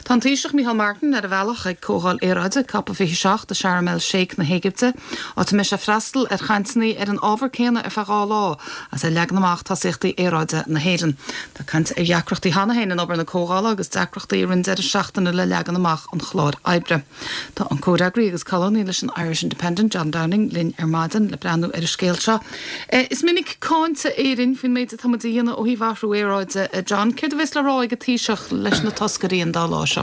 Tá an Taoiseach Micheál Martin ar a bhealach ag Comhdháil Aeráide Cop 27 i Sharm El Sheikh na hÉigipte, áit a mbeidh sé ag freastal ar chainteanna ar an ábhar céanna ar feadh 2 lá agus é ag leagan amach tosaíochtaí aeráide na hÉireann. Tá caint ar dheacrachtaí cheana féin in obair na comhdhála agus deacrachtaí i rith an deireadh seachtaine le leagan amach an chláir oibre. Tá an comhfhreagraí agus colúnaí leis an Irish Independent, John Downing, linn ar maidin le breathnú ar an scéal seo. Is minic cáinte Éirinn faoin méid atá muid a dhéanamh ó thaobh athrú aeráide, a John. Céard a bheas le rá ag an Taoiseach leis na toscairí an dá lá seo?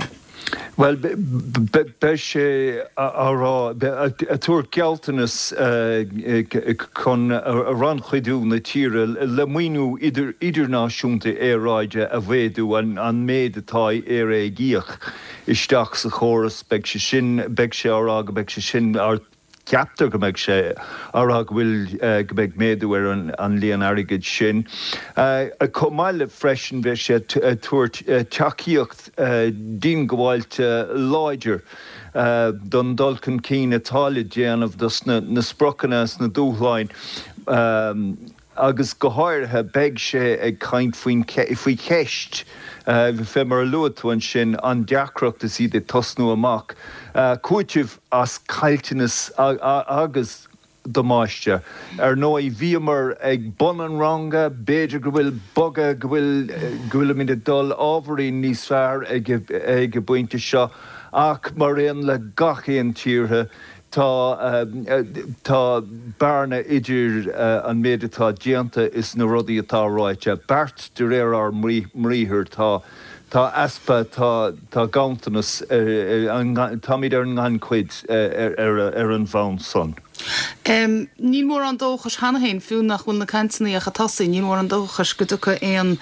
Bhuel, beidh sé á rá, ag tabhairt gealltanas chun rannchuidiú na tíre le maoiniú idirnáisiúnta aeráide a mhéadú, an méid atá Éire ag íoc. isteach sa chóras, beidh sé sin, beidh sé á rá go mbeidh sé sin, ceaptar go mbeidh sé á rá go bhfuil, go mbeidh méadú ar an líon airgid sin. Chomh maith le freisin beidh sé ag tabhairt tacaíocht diongbháilte láidir don dul chun cinn atá le déanamh dos na spriocanna is na dúshláin. Agus go háirithe beidh sé ag caint faoin, faoi cheist, fé mar a luaigh tú ansin, an deacracht is iad ag tosnú amach, cúiteamh as caillteanas agus damáiste. Ar ndóigh bhíomar ag bun an ranga, b'fhéidir go bhfuil bogadh, go bhfuil, go bhfuilimid ag dul ábhairín níos fearr ag, ag an bpointe seo ach mar aon le gach aon tíortha, Tá tá bearna idir an méid atá déanta is na rudaí atá ráite. Beart de réir ár mbriathair. Tá tá easpa, tá tá ganntanas, táimid ar an ngannchuid ar an bhonn san. Níl mórán dóchais cheana féin, fiú nach bhfuil na cainteanna ach ag tosaí, níl mórán dóchais go dtiocfaidh aon,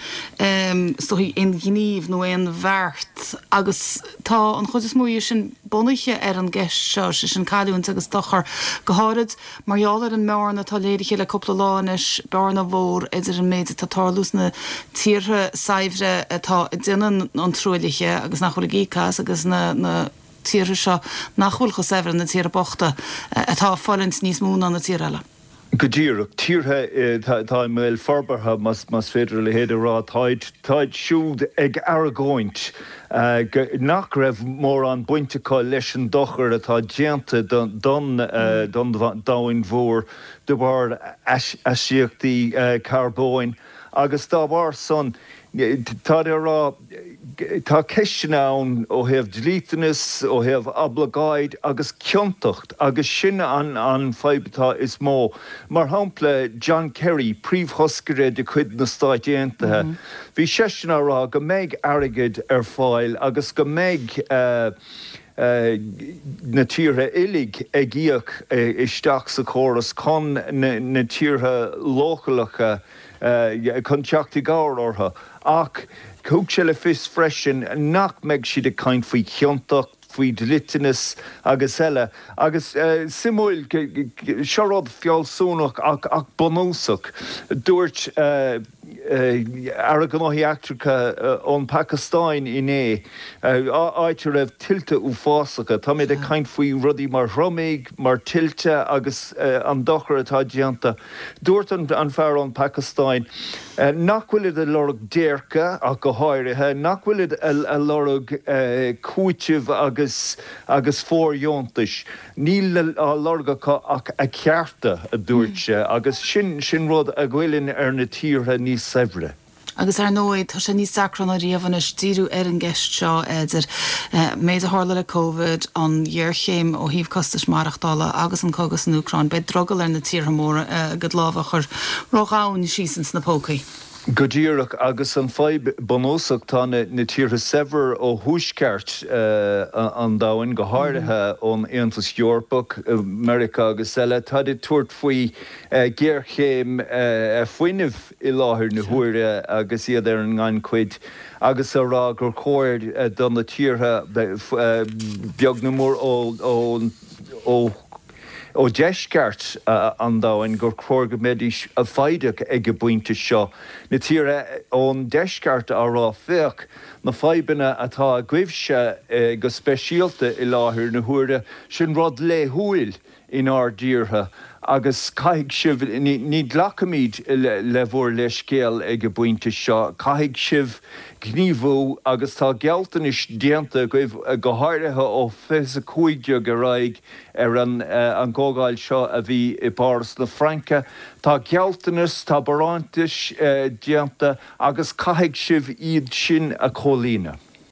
is dóigh, aon ghníomh nó aon bheart agus tá an chuid is mó dhe sin bunaithe ar an gceist seo, sé sin cailliúint agus dochar, go háirid mar gheall ar an mbearna atá léirithe le cúpla lá anois, bearna mhór idir an méid atá ag tarlú sna tíortha saibhre atá ag déanamh an truaillithe agus nach bhfuil ag íoc as agus na tíortha seo nach bhfuil chomh saibhir, na tíortha bochta, atá ag fulaingt níos mó ná na tíortha eile. Go díreach. Tíortha atá i mbéal forbartha, más féidir a leithéid a rá, táid, táid siúd ag argóint nach raibh mórán baint acu leis an dochar atá déanta don domhan mhór de bharr astaíochtaí carbóin agus dá bharr san, táid ag rá, tá ceisteanna ann ó thaobh dlíteanas, ó thaobh oibleagáid agus ciontacht agus sin an fadhb atá is mó. Mar shampla, John Kerry, príomhthoscaire de chuid na Stáit Aontaithe, bhí seisean á rá go mbeidh airgead ar fáil agus go mbeidh na tíortha uilig ag íoc isteach sa chóras chun na tíortha leochaileacha chun teacht i gcabhair orthu. Ach thug sé le fios freisin nach mbeidh siad ag caint faoi chiontacht, faoi dhliteanas agus eile. Agus suimiúil, seo rud fealsúnach ach bunúsach, dúirt Aire Gnóthaí Eachtracha ón Phacastáin inné, áit a raibh tuilte uafásacha, táimid ag caint faoi rudaí mar thriomaigh, mar tuilte agus an dochar atá déanta. Dúirt an fear ón Phacastáin nach bhfuilid ag lorg déirce ach go háirithe, nach bhfuilid ag lorg cúitimh agus agus fóirdheontais. Níl á lorg acu ach a cearta, a dúirt sé, agus sin sin rud a ghoilleann ar na tíortha níos saibhre. Agus ar ndóigh, tá sé níos deacra ná riamh anois díriú ar an gceist seo, idir an méid a tharla le Covid, an ghéarchéim ó thaobh costais maireachtála agus an cogadh san Úcráin. Beidh drogall ar na tíortha móra a gcuid lámha a chur ródhomhain síos ins na pócaí. Go díreach, agus an fadhb bunúsach, tá na tíortha saibhir ó thuaisceart an domhain, go háirithe ón Aontas Eorpach, Meiriceá agus eile, táid ag tabhairt faoi ghéarchéim fuinnimh. i láthair na huaire agus iad ar an ngannchuid agus a rá gur chóir do na tíortha, beag nó mór ó ó dheisceart an domhain, gur chóir go mbeidís foighdeach ag an bpointe seo. Na tíortha ón deisceart á rá, féach na fadhbanna atá agaibhse go speisialta i láthair na huaire, sin rud laethúil. inár dtíortha. Agus caithfidh sibh, ní ghlacfaimid le bhur leithscéal ag an bpointe seo, caithfidh sibh gníomhú agus tá gealltanais déanta agaibh, go háirithe ó 2015 ar aghaidh ar an gcomhdháil seo a bhí i bPáras na Fraince. Tá gealltanas, tá barántais déanta agus caithfidh sibh iad sin a chomhlíonadh.